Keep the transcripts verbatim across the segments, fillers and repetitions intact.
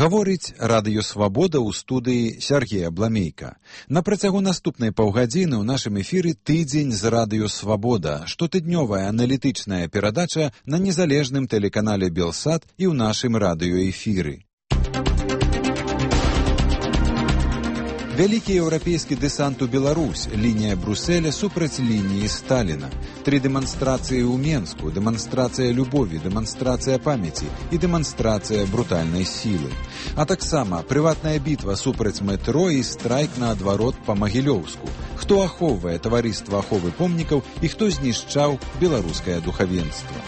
Гаворыць Радыё Свабода ў студыі Сяргей Абламейка. На працягу наступнай паўгадзіны ў нашым эфіры тыдзень з Радыё Свабода, штотыднёвая аналітычная перадача на незалежным тэлеканале Белсат і ў нашым радыёэфіры. Вялікі еўрапейскі дэсант у Беларусь, лінія Брусэля супраць лініі Сталіна. Тры дэманстрацыі ў Менску, дэманстрацыя любові, дэманстрацыя памяці і дэманстрацыя брутальнай сілы. А таксама прыватная бітва супраць метро і страйк наадварот па Магілёўску. Хто ахоўвае таварыства аховы помнікаў і хто знішчаў беларускае духавенства.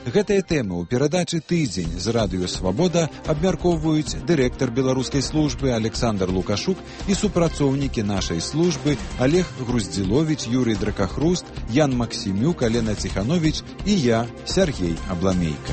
Гэтыя тэмы ў перадачы «Тыдзень» з Радыё Свабода абмяркоўваюць дырэктар беларускай службы Александр Лукашук і супрацоўнікі нашай службы Олег Груздзіловіч, Юрый Дракахруст, Ян Максімюк, Алена Ціхановіч і я, Сяргей Абламейка.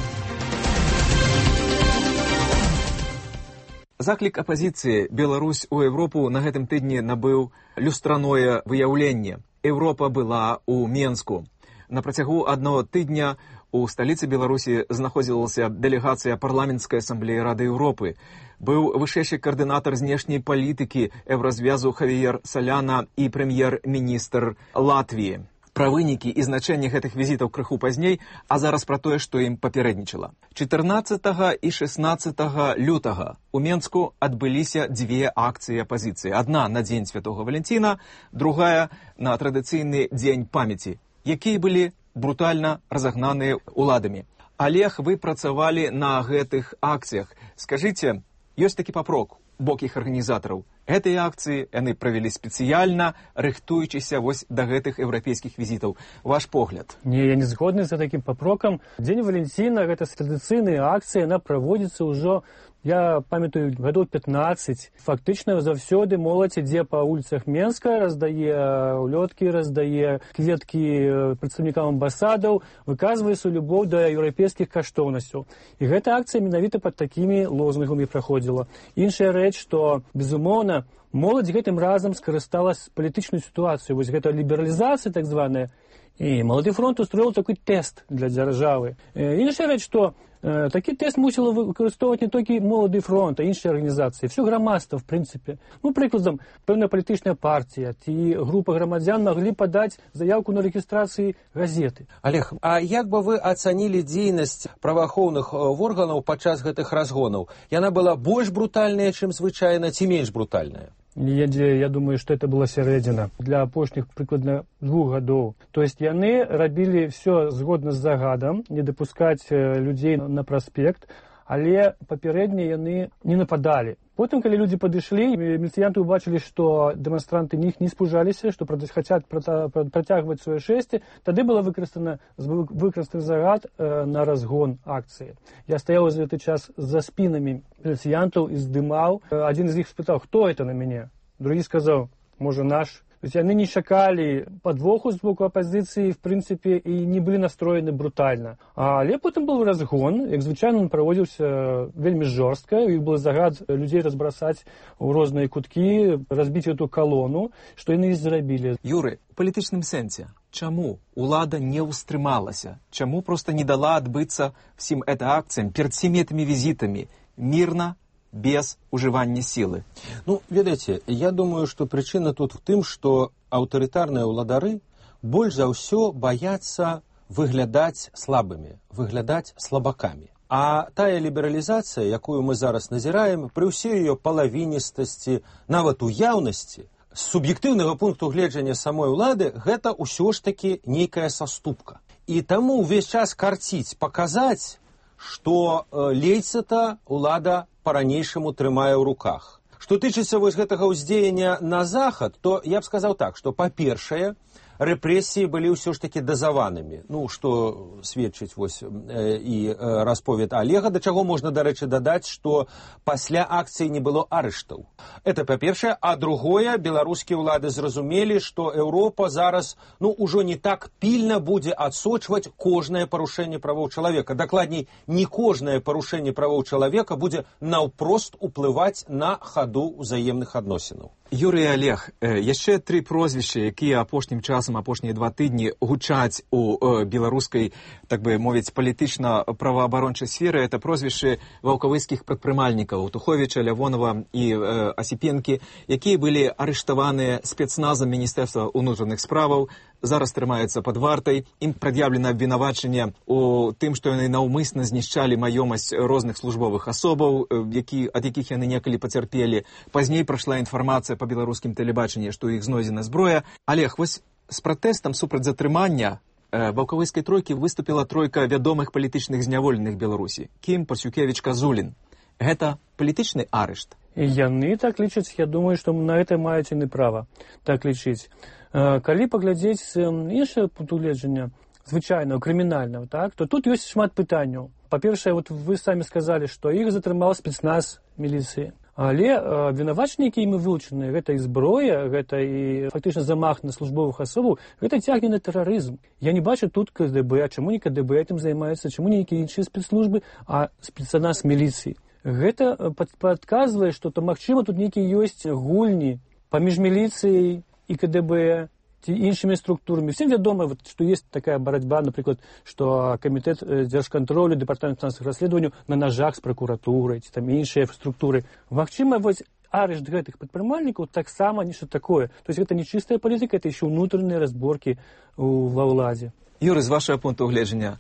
Заклік апазіцыі «Беларусь у Европу» на гэтым тыдні набыў люстраное выяўленне. Еўропа была ў Менску. На працягу аднаго тыдня у сталіцы Беларусі знаходзілася дэлегацыя парламенцкай асамблеі Рады Еўропы. Быў вышэйшы каардынатар знешняй палітыкі Еўразвязу Хавіер Саляна і прэм'ер-міністр Латвіі. Пра вынікі і значэнне гэтых візітаў крыху пазней, а зараз пра тое, што ім папярэднічала. чатырнаццатага і шэснаццатага лютага у Менску адбыліся дзве акцыі апазіцыі. Адна на дзень Святога Валянціна, другая на традыцыйны дзень памяці, якія былі брутальна разагнаныя уладамі. Олег, вы працавалі на гэтых акцыях. Скажыце, ёсць такі папрок у бок іх арганізатараў. Гэтыя акцыі яны правялі спецыяльна, рыхтуючыся вось да гэтых еўрапейскіх візітаў. Ваш погляд? Не, я не згодны за такім папрокам. Дзень Валянціна, гэта традыцыйная акцыя, яна праводзіцца ўжо, я памятаю, гадоў пятнаццаць. Фактычна заўсёды моладзь ідзе па вуліцах Менска, раздае улёткі, раздае кветкі прадстаўнікам амбасадаў, выказвае сваю любоў да еўрапейскіх каштоўнасцяў. І гэта акцыя менавіта пад такімі лозунгамі праходзіла. Іншая рэч, што, безумоўна, моладзь гэтым разам скарысталась палітычную сітуацыю. Вось гэта лібералізацыя так званая. І Малады фронт устроіў такі тэст для дзяржавы. Іншая рэч, што э, такі тэст мусіла выкарыстоўваць не толькі Малады фронт, а іншыя арганізацыі. Всё грамадства, в прынцыпе. Ну, прыкладам, пэўная палітычная партія ці група грамадзян маглі падаць заявку на рэгістрацыі газеты. Олег, а як бы вы ацанілі дзейнасць праваахоўных органаў падчас гэтых разгонаў? Яна была больш брутальная, чым звычайна, ці менш брутальная? Я, я думаю, что это была сярэдзіна для апошніх прыкладна двух гадоў. То есть яны рабілі все згодна з загадам, не дапускаць людзей на праспект, але папярэдне яны не нападалі. Потым, калі людзі падышлі, міліцыянты ўбачылі, што дэманстранты них не спужаліся, што хацяць працягваць сваё шэсце, тады была выкарыстана выкарыстаны загад э, на разгон акцыі. Я стаяў за гэты час за спінамі міліцыянтаў і здымаў. Адзін з іх спытаў, хто это на мяне? Другі сказаў, можа, наш. То есть яны не чакалі падвоху з боку апазіцыі, в прынцыпе, і не былі настроены брутальна. Але потым быў разгон, як звычайна, он праводзіўся вельмі жорстка, і быў загад людзей разбрасаць у розныя куткі, разбіць эту калону, што яны і зрабілі. Юры, у палітычным сэнсе, чаму улада не ўстрымалася? Чаму проста не дала адбыцца всім гэта акцыям перад всімі гэтымі візітамі мірна, без ужывання сілы? Ну, ведаеце, я думаю, што прычына тут в тым, што аўтарытарныя ўладары больш за ўсё баяцца выглядаць слабымі, выглядаць слабакамі. А тая лібералізацыя, якую мы зараз назіраем, пры ўсёй ее палавіністасці, нават уяўнасці, з суб'ектыўнага пункту гледжання самой улады, гэта ўсё ж такі нейкая саступка. І таму ўвесь час карціць, паказаць, што э, лейца-то улада па-ранейшаму трымае ў руках. Што тычыцца вось гэтага ўздзеяння на захад, то я б сказаў так, што па-першае, рэпрэсіі былі ўсё ж такі дазаванымі. Ну, што сведчыць вось э, і э, расповед Олега, да чаго можна, дарэчы, дадаць, што пасля акцыі не было арыштаў. Это па-першае, а другое, беларускія ўлады зразумелі, што Еўропа зараз, ну, ужо не так пільна будзе адсочваць кожнае парушэнне правоў чалавека. Дакладней, не кожнае парушэнне правоў чалавека будзе наўпрост уплываць на хаду ўзаемных адносінаў. Юрій Олег, яшчэ тры прозвішчы, якія апошнім часам, апошнія два тыдні гучаць у беларускай, так бы мовіць, палітычна-праваабарончай сферы, это прозвішчы ваўкавыцкіх прадпрымальнікаў Туховіча, Лявонова і э, Асіпенкі, якія былі арыштаваныя спецназам Міністэрства ўнутраных справаў, зараз трымаюцца пад вартай. Ім прад'яўлена абвінавачанне у тым, што яны наўмысна знішчалі маёмасць розных службовых асобаў, які, ад якіх яны некалі пацярпелі. Пазней прайшла інфармацыя па беларускім тэлебачанні, што ў іх знойдзена зброя. Олег, вось з пратэстам супраць затрымання ваўкавыцкай тройкі выступіла тройка вядомых палітычных зняволеных Беларусі. Кім, Пасюкевіч, Казулін. Гэта палітычны арышт? І яны так лічаць, я думаю, што на гэта маюць яны права так лічыць. Калі паглядзець з іншага пункту гледжання, звычайного, крымінального, так, то тут ёсць шмат пытанняў. Па-першае, вот вы самі сказалі, што іх затрымаў спецназ міліцыі. Але абвінавачанні, якія імі вылучаны, гэта і зброя, гэта і фактычна замах на службовых асобаў, гэта цягне на тэрарызм. Я не бачу тут ка дэ бэ, а чаму не ка дэ бэ этим займаецца, чаму не нейкія іншыя спецслужбы, а спецназ міліцыі. Гэта падказвае, што то, магчыма, тут нейкія ёсць гульні паміж міліцыяй і ка дэ бэ, ці іншымі структурамі. Всем вядома, вот, што ёсць такая барацьба, напрыклад, што камітэт дзяржкантролю, дэпартамент фінансавых расследаванняў на нажах з пракуратурай, ці там іншыя структуры. Магчыма, вось арышт гэтых прадпрымальнікаў таксама нешта такое. То есть гэта не чыстая палітыка, это еще ўнутраныя разборкі ва ўладзе. Юры, з вашего пункту гледжання,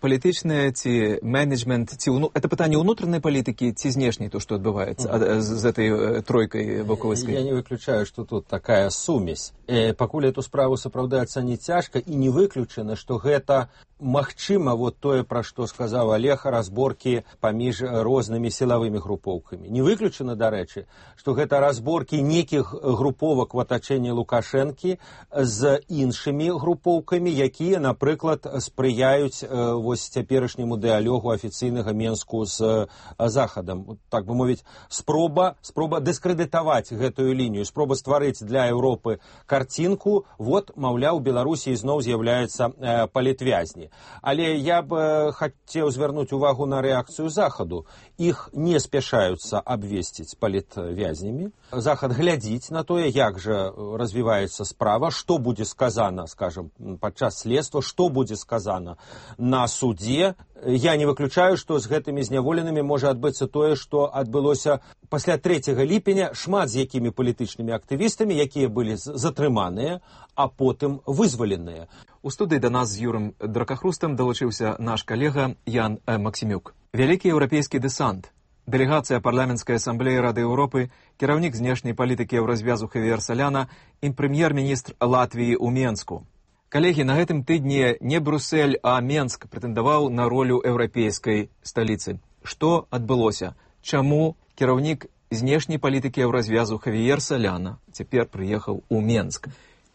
палітычнае ці менеджмент, ці ўну... это пытанне ўнутранай палітыкі ці знешняй, то, што адбываецца mm-hmm. з этой тройкай ваўкавыцкай? Я не выключаю, што тут такая сумесь. Э, пакуль эту справу сапраўды ацаніць цяжка, і не выключана, што гэта магчыма, вот тое, пра што сказаў Олег, разборкі паміж рознымі сілавымі групоўкамі. Не выключана, дарэчы, што гэта разборкі нейкіх груповак в атачэнні Лукашэнкі з іншымі групоўкамі, якія, напрыклад, спрыяюць э, вось цяперашняму дыалогу афіцыйнага Менску з Захадам. Так бы мовіць, спроба, спроба дыскрэдытаваць гэтую лінію, спроба стварыць для Еўропы карцінку, вот, маўляў, Беларусі зноў з'яўляецца э, палітвязні. Але я б хацеў звярнуць увагу на рэакцыю Захаду. Іх не спяшаюцца абвесціць палітвязнямі. Захад глядзіць на тое, як жа развіваецца справа, што будзе сказана, скажам, падчас следства, што будзе сказана на судзе. Я не выключаю, што з гэтымі зняволенымі можа адбыцца тое, што адбылося пасля трэцяга ліпеня, шмат з якімі палітычнымі актывістамі, якія былі затрыманыя, а потым вызваленыя. У студыі да нас з Юрым Дракахрустам далучыўся наш калега Ян Максімюк. Вялікі еўрапейскі дэсант, дэлегацыя парламенцкай асамблеі Рады Еўропы, кіраўнік знешняй палітыкі еўразвязу Хавіер Саляна і прэм'ер-міністр Латвіі ў Менску. Калегі, на гэтым тыдні не Брюссель, а Менск прэтэндаваў на ролю еўрапейскай сталіцы. Што адбылося? Чаму кіраўнік знешняй палітыкі еўразвязу Хавіер Саляна цяпер прыехаў у Менск?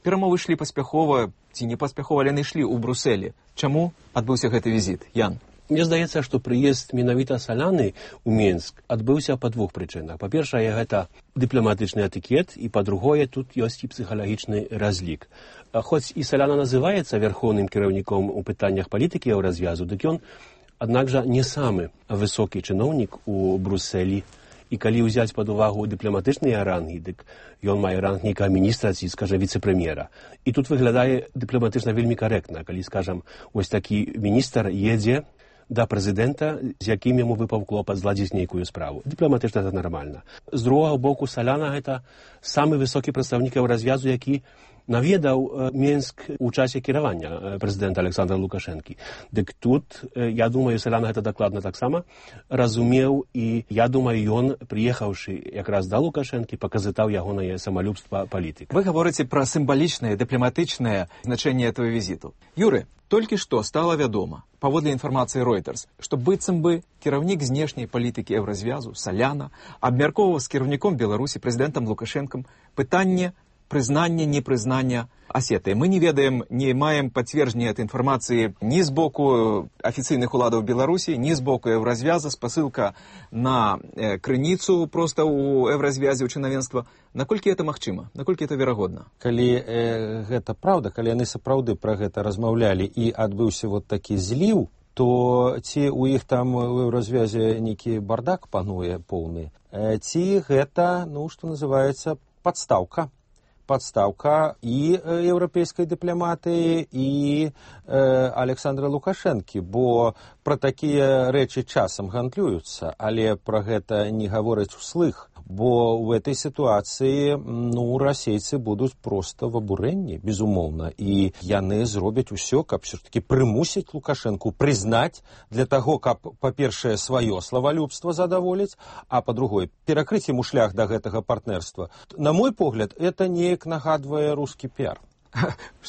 Перамовы ішлі паспяхова, ці не паспяхова, але яны ішлі ў Брюсселі. Чаму адбыўся гэты візіт? Ян? Мне здаецца, што прыезд менавіта Саляны ў Менск адбыўся па двух прычынах. Па-першае, гэта дыпламатычны этыкет, і па-другое, тут ёсць і псіхалагічны разлік. Хоць і Саляна называецца вярхоўным кіраўніком у пытаннях палітыкі еўразвязу, дык ён, аднак жа, не самы высокі чыноўнік у Брюсселі. І калі ўзяць пад увагу дыпламатычныя рангі, дык ён мае ранг нейкага міністра ці, скажа, віцэ-прэм'ера. І тут выглядае дыпламатычна вельмі карэктна, калі, скажам, ось такі міністр едзе да прэзідэнта, з якім яму выпаў клопат зладзіць нейкую справу. Дыпламатычна гэта нармальна. З другога боку, Саляна гэта самы высокі прадстаўнік еўразвязу, які наведаў Менск у часе кіравання прэзідэнта Александра Лукашэнкі. Дык тут, я думаю, Саляна гэта дакладна таксама разумеў, і я думаю, ён, прыехаўшы якраз да Лукашэнкі, паказытаў ягонае самалюбства палітыка. Вы гаворыце пра сімвалічнае, дыпламатычнае значэнне этого візіту. Юры, толькі што стала вядома, паводле інфармацыі Reuters, што быццам бы кіраўнік знешняй палітыкі еўразвязу Саляна абмяркоўваў з кіраўніком Беларусі прэзідэнтам Лукашэнкам пытанне прызнання, непрызнання Асетыі. Мы не ведаем, не маем пацверджання этой інфармацыі ні з боку афіцыйных уладаў Беларусі, ні з боку еўразвяза, спасылка на э, крыніцу проста ў еўразвязе, ў чынавенства. Наколькі это магчыма? Наколькі это верагодна? Калі э, гэта праўда, калі яны сапраўды пра гэта размаўлялі і адбыўся вот такі зліў, то ці ў іх там у еўразвязе нейкі бардак пануе поўны, э, ці гэта, ну, што называецца, подставка. Подставка і еўрапейскай дыпламатыі, і э, Александра Лукашэнкі, бо пра такія рэчы часам гандлююцца, але пра гэта не гавораць услых, бо ў этой сітуацыі ну, расейцы будуць проста в абурэнні, безумоўна, і яны зробяць усё, каб все-таки прымусіць Лукашэнку прызнаць для таго, каб, па-першае, сваё славалюбства задаволіць, а па-другое, перакрыць ему шлях да гэтага партнерства. На мой погляд, это неяк нагадвае русский пиар.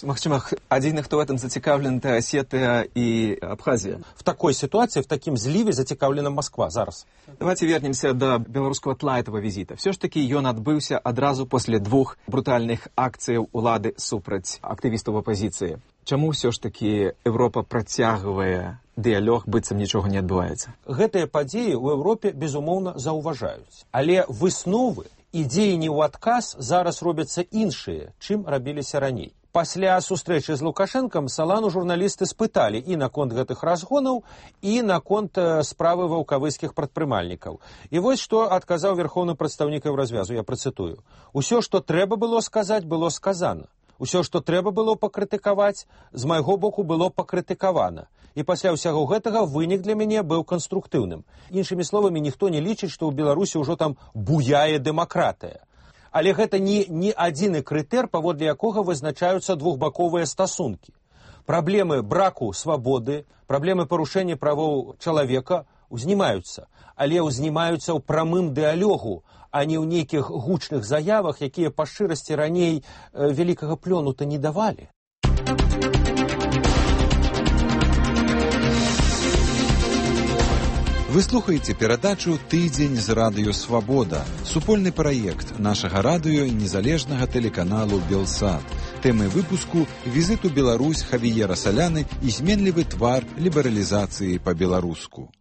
Магчыма, адзіны, хто в этом зацікаўлен, это Осетия и Абхазия. В такой ситуации, в таким зливе зацікаўлена Москва зараз. Давайте вернемся до белорусского тла этого визита. Все ж таки ён адбыўся адразу после двух брутальных акцыяў улады супраць актывістаў апозіцыі. Чаму все ж таки Европа працягвае дыялог, быццам нічога не адбываецца? Гэтыя падзеі ў Европе, безумоўна, заўважаюць. Але высновы і дзеянні ў адказ зараз робяцца іншыя, чым рабіліся раней. Пасля сустрэчы з Лукашэнкам Салану журналісты спыталі і наконт гэтых разгонаў, і наконт справы ваўкавыскіх прадпрымальнікаў. І вось што адказаў верхоўны прадстаўнік Еўразвязу, я працытую. Усё, што трэба было сказаць, было сказана. Усё, што трэба было пакрытыкаваць, з майго боку было пакрытыкавана. І пасля ўсяго гэтага вынік для мяне быў канструктыўным. Іншымі словамі, ніхто не лічыць, што ў Беларусі ўжо там буяе дэмакратыя. Але гэта не, не адзіны крытэр, паводле якога вызначаюцца двухбаковыя стасункі. Праблемы браку свабоды, праблемы парушэння правоў чалавека узнімаюцца, але узнімаюцца ў прамым дыялогу, а не ў нейкіх гучных заявах, якія па шчырасці раней э, вялікага плёну-то не давалі. Вы слухаеце перадачу «Тыдзень з радыё Свабода», супольны праект нашага радыё і незалежнага тэлеканалу «Белсат». Тэмы выпуску – візит у Беларусь Хавіера Саляны і зменлівы твар лібералізацыі па-беларуску.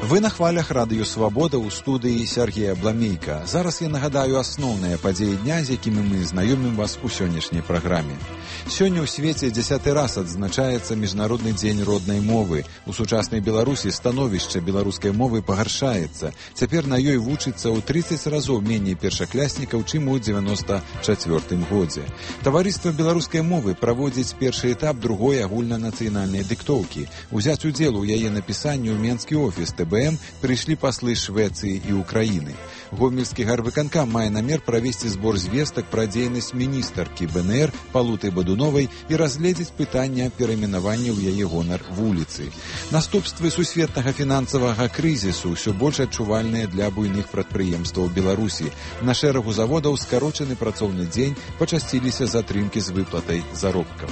Вы на хвалях радыё Свабода ў студыі Сергея Бламейка. Зараз я нагадаю асноўныя падзеі дня, з якімі мы знаёмім вас у сённяшняй праграме. Сёння ў свеце дзясяты раз адзначаецца Міжнародны дзень роднай мовы. У сучаснай Беларусі становішча беларускай мовы пагаршаецца. Цяпер на ёй вучыцца ў трыццаць разоў меней першакляснікаў, чым у дзевяноста чацвёртым годзе. Таварыства беларускай мовы праводзіць першы этап другой агульнанацыянальнай дыктоўкі. Узяць удзел у яе напісанні ў менскі офіс тэ бэ эм прыйшлі паслы Швецыі і Украіны. Гомельскі гарвыканкам мае намер правесці збор звестак пра дзейнасць міністаркі бэ эн эр Палуты Бадуновай і разгледзець пытання перайменавання ў яе гонар вуліцы. Наступствы сусветнага фінансавага крызісу ўсё больш адчувальныя для буйных прадпрыемстваў Беларусі. На шэрагу заводаў скарочаны працоўны дзень, пачасціліся затрымкі з выплатай заробкаў.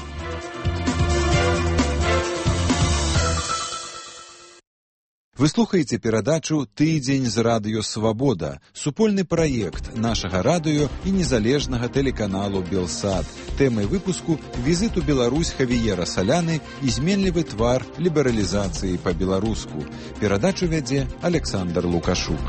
Вы слухаеце перадачу «Тыдзень з радыё Свабода», супольны праект нашага радыё і незалежнага тэлеканалу «Белсат». Тэмай выпуску – візит у Беларусь Хавіера Саляны і зменлівы твар лібералізацыі па-беларуску. Перадачу вядзе Александр Лукашук.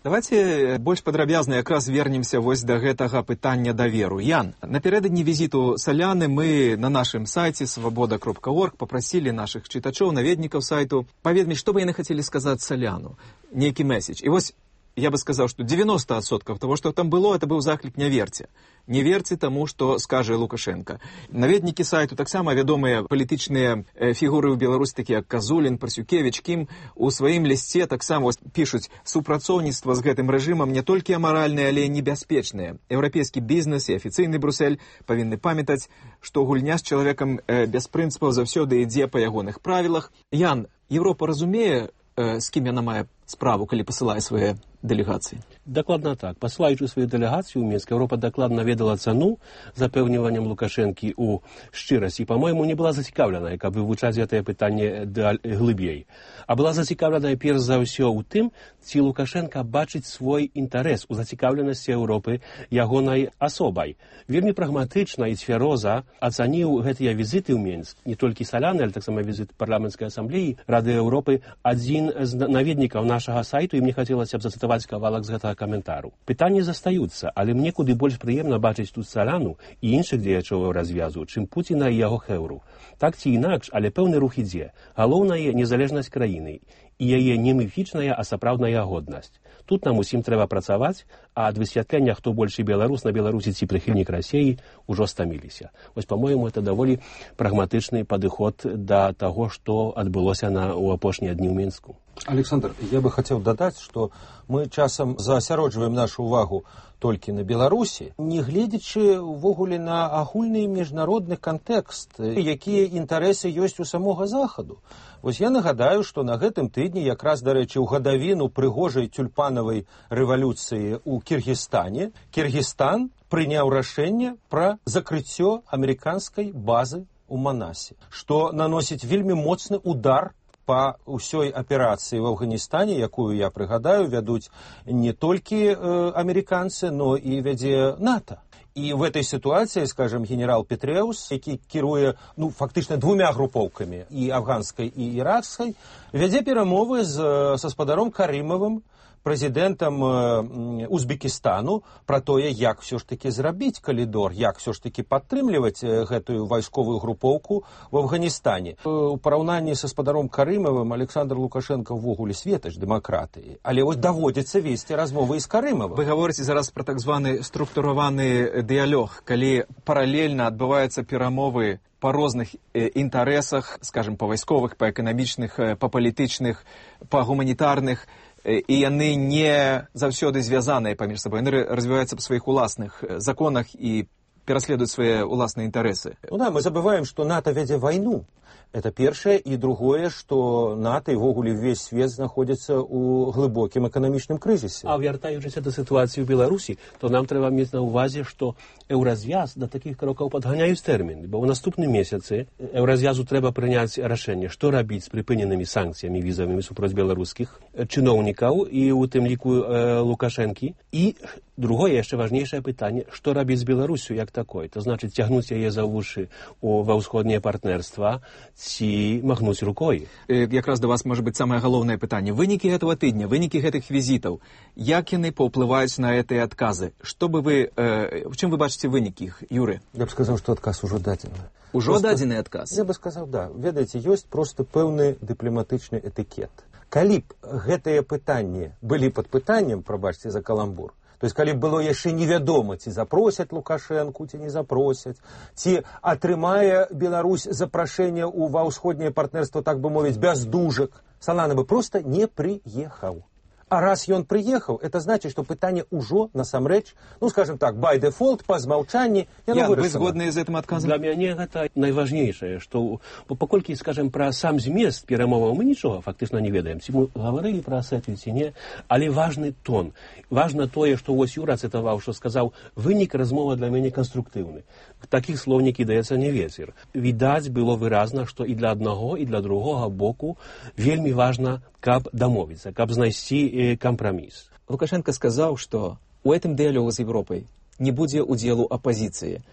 Давайте больш падрабязна якраз вернемся вось да гэтага пытання даверу. Ян, напярэдадні візіту Саляны мы на нашым сайце свабода кропка орг папрасілі нашых чытачоў, наведнікаў сайту паведаміць, што бы яны хацелі сказаць Саляну, нейкі месседж. І вось я бы сказаў, што девяносто адсоткаў того, што там было, это быў заклік не верце. Не верце таму, што скажа Лукашенко. Наведнікі сайту таксама вядомыя палітычныя фігуры ў Беларусі, такія як Казулін, Парсюкевіч, Кім, у сваім лісце таксама пішуць: супрацоўніцтва з гэтым рэжымам не толькі амаральнае, але і небяспечнае. Еўрапейскі бізнес і афіцыйны Брюссель павінны памятаць, што гульня з чалавекам без прынцыпаў заўсёды ідзе па ягоных правілах. Ян, Еўропа разумее, з кім яна мае справу, калі пасылае свае дэлегацыі? Дакладна так. Пасылаючы сваю дэлегацыю ў Мінск, Еўропа дакладна ведала цану запэўніваннем Лукашэнкі ў шчырасці. Па-мойму, не была зацікаўленая, каб вывучаць гэтае пытанне глыбей. А была зацікаўленая перш за ўсё ў тым, ці Лукашенка бачыць свой інтарэс у зацікаўленасці Еўропы ягонай асобай. Вельмі прагматычна і цвяроза ацаніў гэтыя візіты ў Мінск, не толькі Саляны, але таксама візіт парламенцкай асамблеі Рады Еўропы, адзін з наведнікаў нашага сайту, і мне хацелася б зацытаваць кавалак з гэтага каментару. Пытанні застаюцца, але мне куды больш прыемна бачыць тут Саляну і іншых дзеячоў развязу, чым Пуціна і яго хэўру. Так ці інакш, але пэўны рух ідзе. Галоўнае незалежнасць краіны і яе не міфічная, а сапраўдная годнасць. Тут нам усім трэба працаваць, а ад высвятлення, хто большы беларус на Беларусі ці прыхільнік Расіі, ужо стаміліся. Вось, па-мойму, это даволі прагматычны падыход да таго, што адбылося на, у апошнія дні ў Мінску. Александр, я бы хотел додать, что мы часам заасяроджваем нашу увагу толькі на Беларусі, не гледзячы ўвогуле на агульны міжнародны кантэкст, якія інтарэсы ёсць у самога Захаду. Вось я нагадаю, што на гэтым тыдні, якраз, дарэчы, у гадавіну прыгожай тюльпанавай рэвалюцыі ў Кіргізстане, Кіргізстан прыняў рашэнне пра закрыццё амерыканскай базы ў Манасе, што наносіць вельмі моцны удар па ўсёй аперацыі в Афганістане, якую, я прыгадаю, вядуць не толькі э, амерыканцы, но і вядзе НАТО. І в этой ситуации, скажем, генерал Петреус, які кіруе, ну, фактычна двумя групоўкамі, і афганскай, і іракскай, вядзе перамовы з, са спадаром Карымавым, прэзідэнтам э, Узбекістану, пра тое, як все ж таки зрабіць калідор, як все ж таки падтрымліваць э, гэтую вайсковую групоўку в Афганістане. Э, у параўнанні са спадаром Карымавым Александр Лукашенко ўвогуле светач дэмакратыі, але вось даводзіцца весці размовы з Карымавым. Вы гаворыце зараз пра так званы структураваны дыялог, калі паралельна адбываюцца перамовы па розных э, інтарэсах, скажем, па вайсковых, па эканамічных, э, па палітычных, па гуманітарных, і яны не заўсёды звязаныя паміж сабой, яны развіваюцца па сваіх уласных законах і пераследуюць свае уласныя інтарэсы. Ну да, мы забываем, што НАТО вядзе вайну. Это першае, і другое, што НАТО і ввогуле ўвесь свет знаходзіцца ў глыбокім эканамічным крызісе. А вяртаючыся да сітуацыі ў Беларусі, то нам трэба мець на ўвазе, што еўразвяз да такіх крокаў падганяюць тэрмін, бо ў наступным месяцы еўразвязу трэба прыняць рашэнне, што рабіць з прыпыненымі санкцыямі візавымі супроць беларускіх чыноўнікаў і у тым ліку э, Лукашэнкі. І другое, яшчэ важнейшае пытанне, што рабіць з Беларусю як такой, то значыць цягнуць яе за вушы ва ўсходняе партнерства, ці махнуць рукой. Якраз да вас, можа быць, самае галоўнае пытанне. Вынікі гэтага тыдня, вынікі гэтых візітаў, як яны паўплываюць на гэтыя адказы? Што бы вы, э, в чым вы бачыце вынікі іх, Юры? Я б сказаў, што адказ ужо дадзены. Ужо дадзены адказ? Я бы сказаў, да. Ведаеце, ёсць проста пэўны дыпламатычны этыкет. Калі б гэтыя пытанні былі пад пытаннем, прабачце за каламбур, то есть, калі б было яшчэ невядома, ці запросяць Лукашэнку, ці не запросяць, ці атрымае Беларусь запрашэнне ў ва ўсходняе партнерства, так бы мовіць, без дужак, Салана бы проста не прыехаў. А раз ён прыехаў, это значит, што пытанне ўжо насамрэч, ну, скажем так, by default, па змаўчанні, яно вырашана. Вы згодныя з гэтым адказам? Для мяне гэта найважнейшае, што паколькі, скажем, пра сам змест перамоваў мы нічога фактычна не ведаем. Ці мы гаварылі пра асетві, ці не, але важны тон. Важна тое, што вось Юра цытаваў, што сказаў, вынік размова для мяне канструктыўны. Такіх слоў не кідаецца не вецер. Відаць было выразна, што і для аднаго, і для другога боку вельмі важна, каб дамовіцца, каб знайсці кампраміс. Лукашенко сказаў, што у гэтым дыялогу з Европай не будзе удзелу апазіцыі.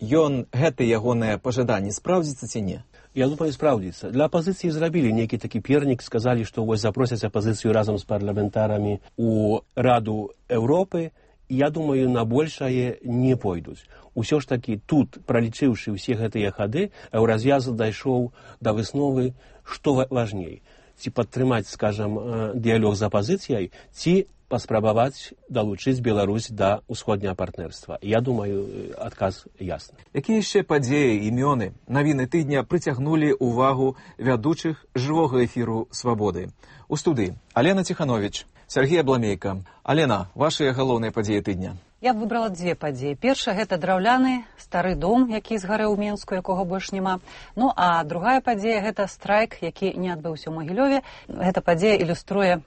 Ён, гэта ягонае пажаданне, спраўдзіцца ці не? Я думаю, спраўдзіцца. Для апазіцыі зрабілі нейкі такі пернік, сказалі, што вось запросяць апазіцыю разам з парламентарамі у Раду Еўропы. Я думаю, на большае не пойдуць. Усё ж такі тут, пралічыўшы ўсе гэтыя хады, еўразвяз дайшоў да высновы, што важней. Ці падтрымаць, скажам, дыялог з апазіцыяй, ці паспрабаваць далучыць Беларусь да ўсходняга партнерства. Я думаю, адказ ясны. Якія яшчэ падзеі, імёны, навіны тыдня прыцягнулі ўвагу вядучых жывога эфіру «Свабоды»? У студыі Алена Ціхановіч, Сергей Абламейка. Алена, вашыя галоўныя падзеі тыдня? Я б выбрала дзве падзеі. Першая – гэта драўляны стары дом, які згарэў у Мінску, якога больш няма. Ну, а другая падзея – гэта страйк, які не адбыўся ў Магілёве. Гэта падзея ілюструе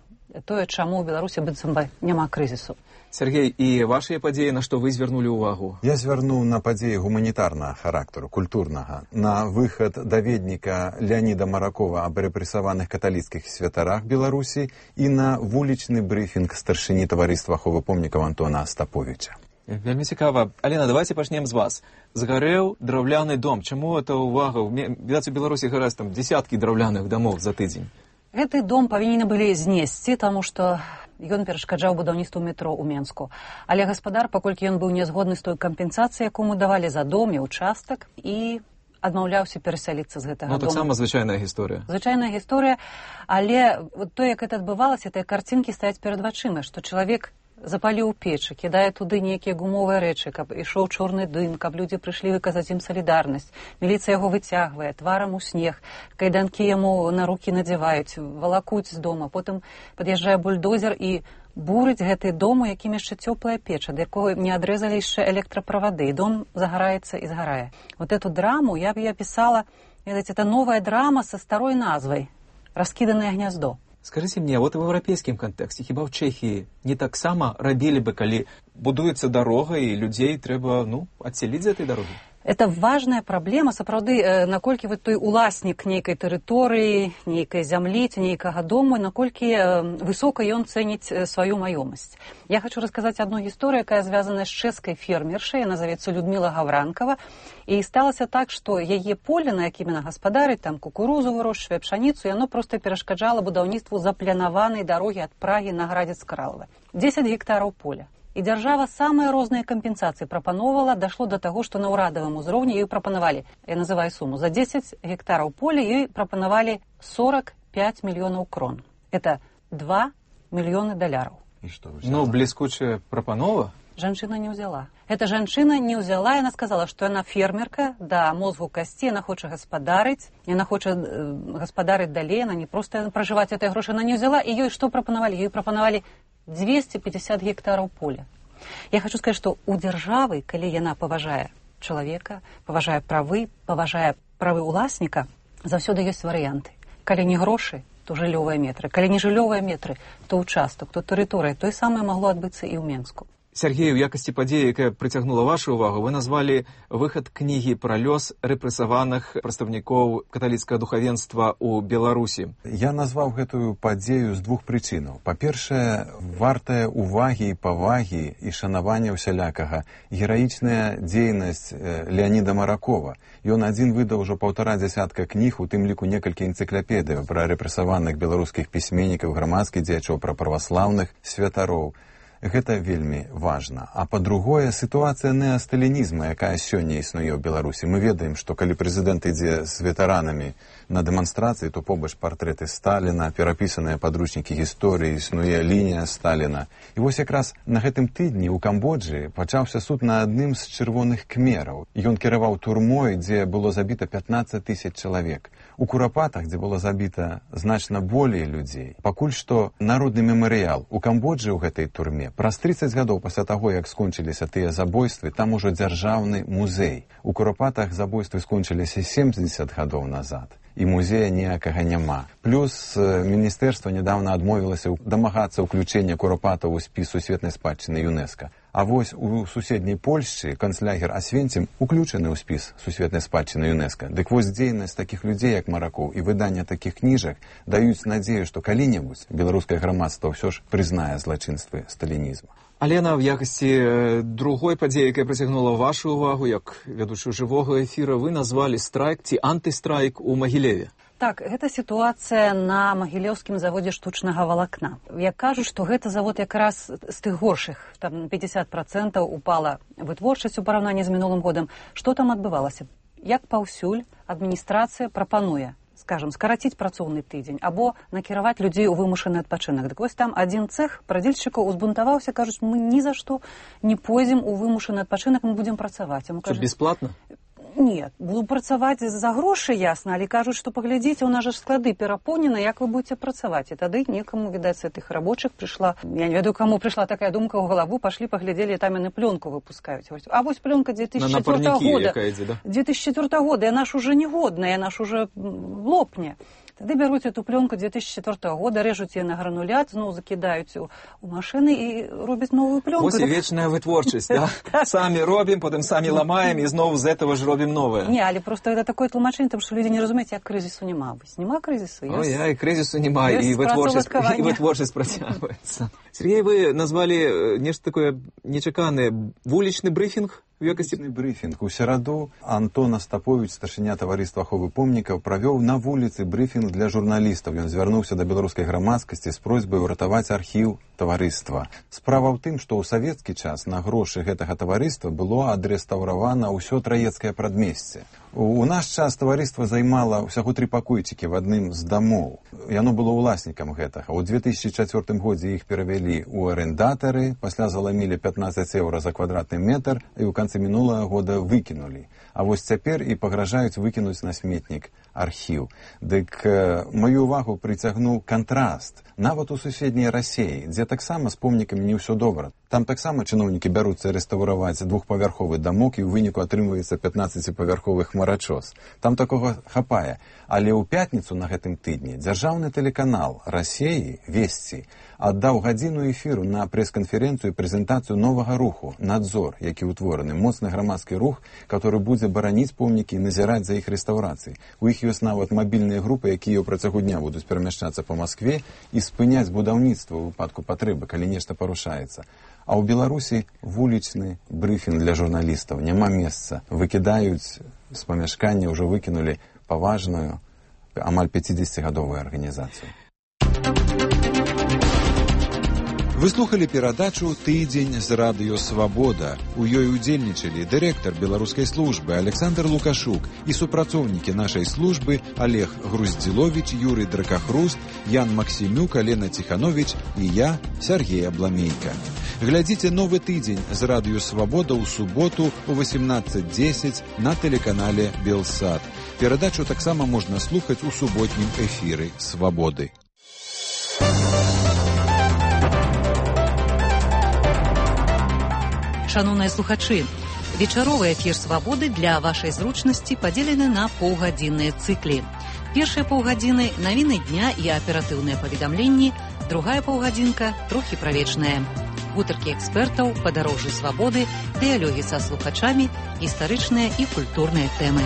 тое, чаму ў Беларусі быццам бы няма крызісу. Сергей, і вашыя падзеі, на што вы звярнулі ўвагу? Я звярнуў на падзеі гуманітарнага характару, культурнага, на выхад даведніка Леаніда Маракова аб рэпрэсаваных каталіцкіх святарах Беларусі і на вулічны брыфінг старшыні таварыства аховы помнікаў Антона Астаповіча. Вельмі цікава. Алена, давайте пачнем з вас. Згарэў драўляны дом. Чаму гэта ўвага? Відаць, у Беларусі гараць там дзесяткі драўляных дамоў за тыдзень. Гэты дом павінны былі знесці, таму што ён перашкаджаў будаўніцтву метро ў Менску. Але гаспадар, паколькі ён быў не згодны з той кампенсацыяй, якому давалі за дом і участак, і адмаўляўся перасяліцца з гэтага ну, дома. Ну, таксама звычайная гісторыя. Звычайная гісторыя, але вот то, як гэта адбывалася, тыя карцінкі стаяць перад вачыма, што чалавек запаліў печы, кідае туды нейкія гумовыя рэчы, каб ішоў чорны дым, каб людзі прыйшлі выказаць ім салідарнасць. Міліцыя яго выцягвае, тварам у снег, кайданкі яму на рукі надзяваюць, валакуць з дома, потым пад'язджае бульдозер і бурыць гэты дом, у якім яшчэ цёплая печа, да якога не адрэзалі яшчэ электраправады, і дом загараецца і згарае. Вот эту драму я б я пісала, ведаеце, это новая драма со старой назвай «Раскіданае гняздо». Скажите мне, вот в европейском контексте, хіба в Чехии не так само рабілі бы, калі будуецца дарога і людзей трэба, ну, адселіць з этой дарогі? Это важная праблема, сапраўды, наколькі вот той уласнік нейкай тэрыторыі, нейкай зямлі ці нейкага дому, наколькі высока ён цэніць сваю маёмасць. Я хочу расказаць одну гісторыю, якая звязана з чэшскай фермершай, яна завецца Людмила Гавранкова, і сталася так, што яе поле, на якім яна гаспадарыць, там кукурузу вырошчвае, пшаніцу, яно проста перашкаджала будаўніцтву запланаванай дарогі ад Прагі на Градзец-Кралава. дзесяць гектараў поля. І дзяржава самыя розныя кампенсацыі прапановала, дашло да таго, што на ўрадавым узроўні ёй прапанавалі, я называю суму, за дзесяць гектараў поля ёй прапанавалі сорок пять мільёнаў крон. Это два мільёны даляраў. І што, ну, бліскучая прапанова? Жанчына не ўзяла. Эта жанчына не ўзяла, яна сказала, што яна фермерка, да мозгу касці, яна хоча гаспадарыць, яна хоча э, гаспадарыць далей, яна не проста пражываць этой грошы, яна не ўзяла, і ёй што прапанавалі? Ёй прапанавалі двести пятьдесят гектараў поля. Я хочу сказаць, што у дзяржавы, калі яна паважае чалавека, паважае правы, паважае правы ўласніка, заўсёды ёсць варыянты. Калі не грошы, то жыллёвыя метры. Калі не жыллёвыя метры, то ўчастак, то тэрыторыя. Тое самае магло адбыцца і ў Менску. Сергей, у якасці падзеі, якая прыцягнула вашу ўвагу, вы назвалі выхад кнігі пра лёс рэпрэсаваных прадстаўнікоў каталіцкага духавенства ў Беларусі. Я назваў гэтую падзею з двух прычынаў. Па-першае, вартая увагі і павагі і шанавання ўсялякага гераічная дзейнасць Леаніда Маракова. Ён адзін выдаў ужо паўтара дзясятка кніг, у тым ліку некалькі энцыклапедыяў пра рэпрэсаваных беларускіх пісьменнікаў, грамадскіх дзеячоў, пра праваслаўных святароў. Гэта вельмі важна. А па-другое, сітуацыя неасталінізма, якая сёння існуе ў Беларусі. Мы ведаем, што калі прэзідэнт ідзе з ветэранамі на дэманстрацыі, то побач партрэты Сталіна, перапісаныя падручнікі гісторыі, існуе лінія Сталіна. І вось якраз на гэтым тыдні ў Камбоджы пачаўся суд на адным з чырвоных кмераў. Ён кіраваў турмой, дзе было забіта пятнаццаць тысяч чалавек. У Курапатах, дзе было забіта значна болей людзей. Пакуль што народны мемарыял у Камбоджы ў гэтай турме. Праз трыццаць гадоў пасля таго, як скончыліся тыя забойствы, там ужо дзяржаўны музей. У Курапатах забойствы скончыліся семдзесят гадоў назад. І музея ніякага няма. Плюс міністэрства нядаўна адмовілася дамагацца ўключэння Курапатаў у спіс сусветнай спадчыны ЮНЕСКО. А вось у суседняй Польшчы канцлягер Асвенцім уключаны ў спіс сусветнай спадчыны ЮНЕСКО. Дык вось дзейнасць такіх людзей, як Маракоў, і выданне такіх кніжак даюць надзею, што калі-небудзь беларускае грамадства ўсё ж прызнае злачынствы сталінізма. Алена, в якасці другой падзеі, якая прыцягнула вашу ўвагу, як ведучую жывога эфіра, вы назвалі страйк ці антыстрайк у Магілеве. Так, гэта сітуацыя на магілёўскім заводзе штучнага валакна. Я кажу, што гэта завод якраз з тых горшых, там пятьдесят процентов упала вытворчасць у параўнанні з мінулым годам. Што там адбывалася? Як паўсюль адміністрацыя прапануе, скажем, скараціць працоўны тыдзень або накіраваць людзей у вымушаны адпачынак. Дык вось там адзін цэх прадзельшчыкаў узбунтаваўся, кажуць, мы ні за што не пойдзем у вымушаны адпачынак, мы будзем працаваць. Што, бесплатна? Нет, буду працаваць за грошы, ясна, але кажуць, што паглядзіце, у нас жа склады перапоўнены, як вы будзеце працаваць. І тады некаму, відаць, з гэтых рабочых прыйшла, я не ведаю, каму прыйшла такая думка ў галаву, пашлі, паглядзелі, там яны плёнку выпускаюць. А вось плёнка две тысячи четвёртого года. Да? две тысячи четвёртого года, яна ж уже не годная, яна ж уже лопне. Тады бяруць эту плёнку две тысячи четвёртого года, рэжуць яе на гранулят, зноў закідаюць у, у машыны і робяць новую плёнку. Вось і вечная вытворчасць, да? Самі робім, потым самі ламаем і зноў з этого ж робім новае. Не, але просто это такое тлумачэнне, тому што людзі не разумеюць, як крызісу няма. Вось нема крызісу. Ой, я, і крызісу няма, і вытворчасць, і вытворчасць працягваецца. Сергей, вы назвалі нешта такое нечаканае, вулічны брыфінг? У якасці брифінг у сераду Антон Астапович, старшыня таварыства аховы помнікаў, правёў на вуліцы брифінг для журналістаў. Ён звярнуўся да беларускай грамадскасці з просьбай уратаваць архіў таварыства. Справа ў тым, што ў савецкі час на грошы гэтага таварыства было адрэстаўравана ўсё траецкае прадмесце. У наш час таварыства займала ўсяго тры пакойчыкі в адным з дамоў. Яно было ўласнікам гэтага. У две тысячи чацвёртым годзе іх перавялі ў арендатары, пасля заламілі пятнаццаць еўра за квадратны метр і ў канцы мінулага года выкінулі. А вось цяпер і пагражаюць выкінуць на сметнік архіў. Дык э, маю увагу прыцягнуў кантраст. Нават у суседняй Расіі, дзе таксама з помнікамі не ўсё добра. Там таксама чыноўнікі бяруцца рэстаўраваць двухпавярховы дамок і ў выніку атрымваецца пятнаццаціпавярховы хмарачос. Там такога хапае. Але ў пятніцу на гэтым тыдні дзяржаўны тэлеканал Расіі «Весці» аддаў гадзіну эфіру на прэс-канферэнцыю і прэзентацыю новага руху «Надзор», які ўтвораны, моцны грамадскі рух, который будзе бараніць помнікі і назіраць за іх рэстаўрацыяй. У іх ёсць нават мабільныя групы, якія ў працягу дня будуць перамяшчацца па Маскве і спыняць будаўніцтва ў выпадку патрэбы, калі нешта парушаецца. А ў Беларусі вулічны брыфінг для журналістаў. Няма месца. Выкідаюць з памяшкання, ўжо выкінулі паважную, амаль пяцідзесяцігадовую арганізацыю. Вы слухали перадачу «Тыдзень з радыё Свабода». У ёй удзельнічалі дырэктар беларускай службы Александр Лукашук і супрацоўнікі нашай службы Олег Груздзіловіч, Юрый Дракахруст, Ян Максімюк, Алена Ціхановіч і я, Сергей Абламейка. Глядзіце новы тыдзень з радыё Свабода ў суботу ў восемнадцать десять на тэлеканале Белсат. Перадачу таксама можна слухаць у суботнім эфіры Свабоды. Шановныя слухачы, вечаровы эфір «Свабоды» для вашай зручнасці падзелены на паўгадзінныя цыклі. Першыя паўгадзіны – навіны дня і аператыўныя паведамленні, другая паўгадзінка – трохі правечная. Гутаркі экспертаў, падарожжы свабоды, дыялогі са слухачамі, гістарычныя і культурныя тэмы.